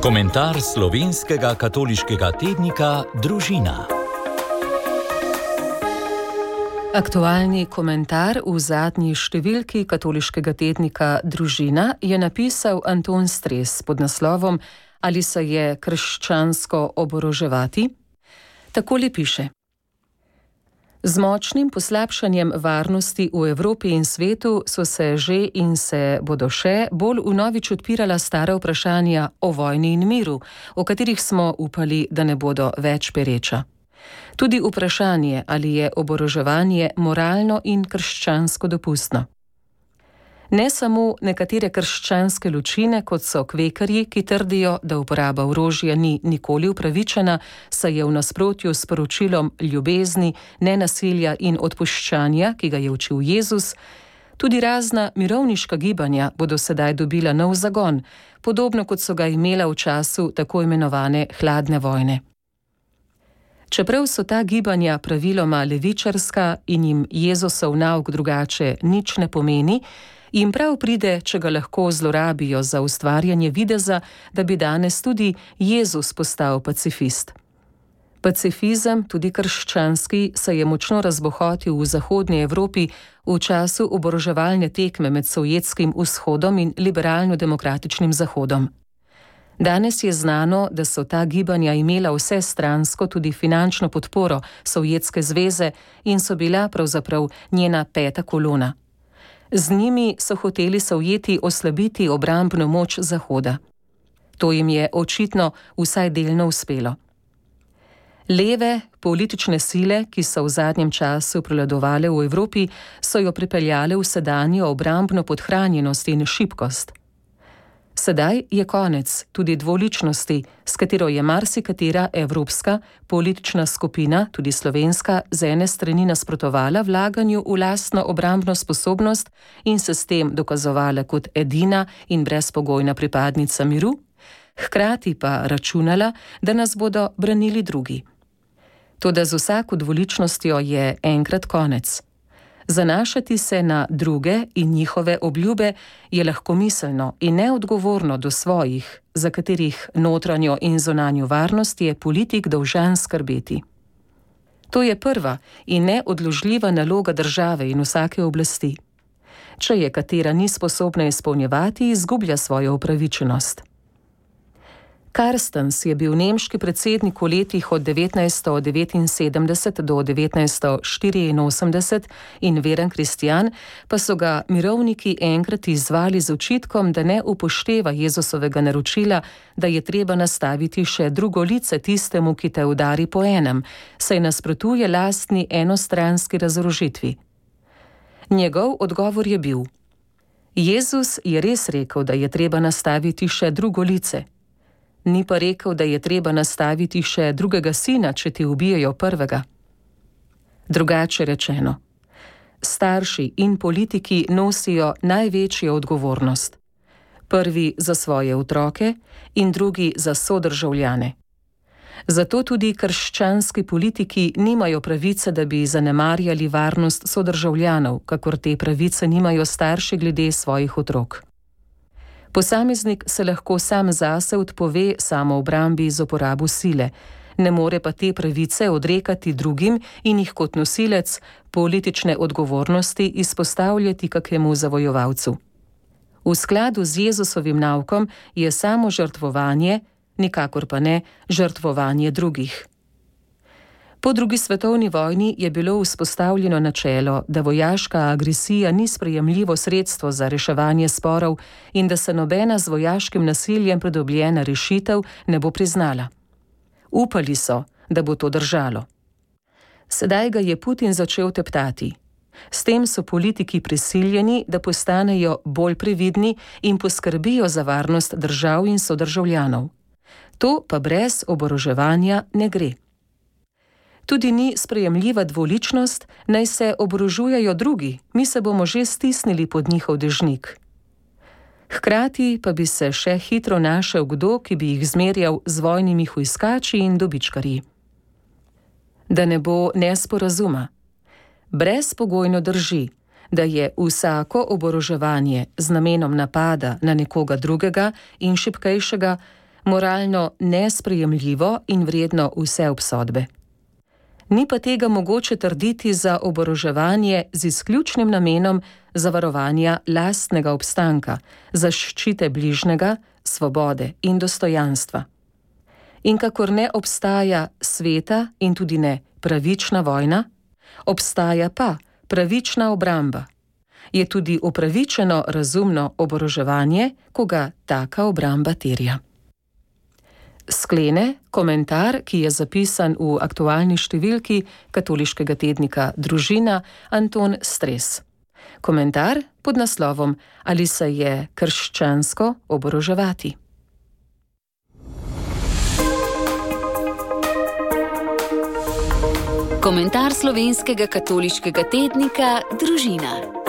Komentar slovenskega katoliškega tednika Družina. Aktualni komentar v zadnji številki katoliškega tednika Družina je napisal Anton Stres pod naslovom Ali se je krščansko oboroževati? Takole piše. Z močnim poslabšanjem varnosti v Evropi in svetu so se že in se bodo še bolj vnovič odpirala stara vprašanja o vojni in miru, o katerih smo upali, da ne bodo več pereča. Tudi vprašanje, ali je oboroževanje moralno in krščansko dopustno. Ne samo nekatere krščanske ločine, kot so kvekarji, ki trdijo, da uporaba orožja ni nikoli upravičena, saj je v nasprotju s poročilom ljubezni, nenasilja in odpuščanja, ki ga je učil Jezus, tudi razna mirovniška gibanja bodo sedaj dobila nov zagon, podobno kot so ga imela v času tako imenovane hladne vojne. Čeprav so ta gibanja praviloma levičarska in jim Jezusov nauk drugače nič ne pomeni, jim prav pride, če ga lahko zlorabijo za ustvarjanje videza, da bi danes tudi Jezus postal pacifist. Pacifizem, tudi krščanski, se je močno razbohotil v zahodnji Evropi v času oboroževalne tekme med Sovjetskim vzhodom in liberalno-demokratičnim zahodom. Danes je znano, da so ta gibanja imela vsestransko tudi finančno podporo Sovjetske zveze in so bila pravzaprav njena peta kolona. Z njimi so hoteli Sovjeti oslabiti obrambno moč Zahoda. To jim je očitno vsaj delno uspelo. Leve politične sile, ki so v zadnjem času prevladovale v Evropi, so jo pripeljale v sedanjo obrambno podhranjenost in šibkost. Sedaj je konec tudi dvoličnosti, s katero je marsikatera evropska politična skupina, tudi slovenska, z ene strani nasprotovala vlaganju v lastno obrambno sposobnost in se s tem dokazovala kot edina in brezpogojna pripadnica miru, hkrati pa računala, da nas bodo branili drugi. Toda z vsako dvoličnostjo je enkrat konec. Zanašati se na druge in njihove obljube je lahkomiselno in neodgovorno do svojih, za katerih notranjo in zunanjo varnost je politik dolžan skrbeti. To je prva in neodložljiva naloga države in vsake oblasti. Če je katera ni sposobna izpolnjevati, izgublja svojo upravičenost. Karstens je bil nemški predsednik v letih od 1979 do 1984 in veren kristjan, pa so ga mirovniki enkrat izzvali z očitkom, da ne upošteva Jezusovega naročila, da je treba nastaviti še drugo lice tistemu, ki te udari po enem, saj nasprotuje lastni enostranski razorožitvi. Njegov odgovor je bil: Jezus je res rekel, da je treba nastaviti še drugo lice. Ni pa rekel, da je treba nastaviti še drugega sina, če ti ubijejo prvega. Drugače rečeno, starši in politiki nosijo največjo odgovornost. Prvi za svoje otroke in drugi za sodržavljane. Zato tudi krščanski politiki nimajo pravice, da bi zanemarjali varnost sodržavljanov, kakor te pravice nimajo starši glede svojih otrok. Posameznik se lahko sam zase odpove samoobrambi z uporabo sile, ne more pa te pravice odrekati drugim in jih kot nosilec politične odgovornosti izpostavljati kakemu zavojovalcu. V skladu z Jezusovim naukom je samo žrtvovanje, nikakor pa ne žrtvovanje drugih. Po drugi svetovni vojni je bilo vzpostavljeno načelo, da vojaška agresija ni sprejemljivo sredstvo za reševanje sporov in da se nobena z vojaškim nasiljem pridobljena rešitev ne bo priznala. Upali so, da bo to držalo. Sedaj ga je Putin začel teptati. S tem so politiki prisiljeni, da postanejo bolj previdni in poskrbijo za varnost držav in sodržavljanov. To pa brez oboroževanja ne gre. Tudi ni sprejemljiva dvoličnost, naj se oborožujejo drugi, mi se bomo že stisnili pod njihov dežnik. Hkrati pa bi se še hitro našel kdo, ki bi jih zmerjal z vojnimi hujskači in dobičkarji. Da ne bo nesporazuma. Brezpogojno drži, da je vsako oboroževanje z namenom napada na nekoga drugega in šibkejšega moralno nesprejemljivo in vredno vse obsodbe. Ni pa tega mogoče trditi za oboroževanje z izključnim namenom zavarovanja lastnega obstanka, zaščite bližnjega, svobode in dostojanstva. In kakor ne obstaja sveta in tudi ne pravična vojna, obstaja pa pravična obramba. Je tudi upravičeno razumno oboroževanje, ko ga taka obramba terja. Sklene komentar, ki je zapisan v aktualni številki katoliškega tednika Družina, Anton Stres. Komentar pod naslovom Ali se je krščansko oboroževati? Komentar slovenskega katoliškega tednika Družina.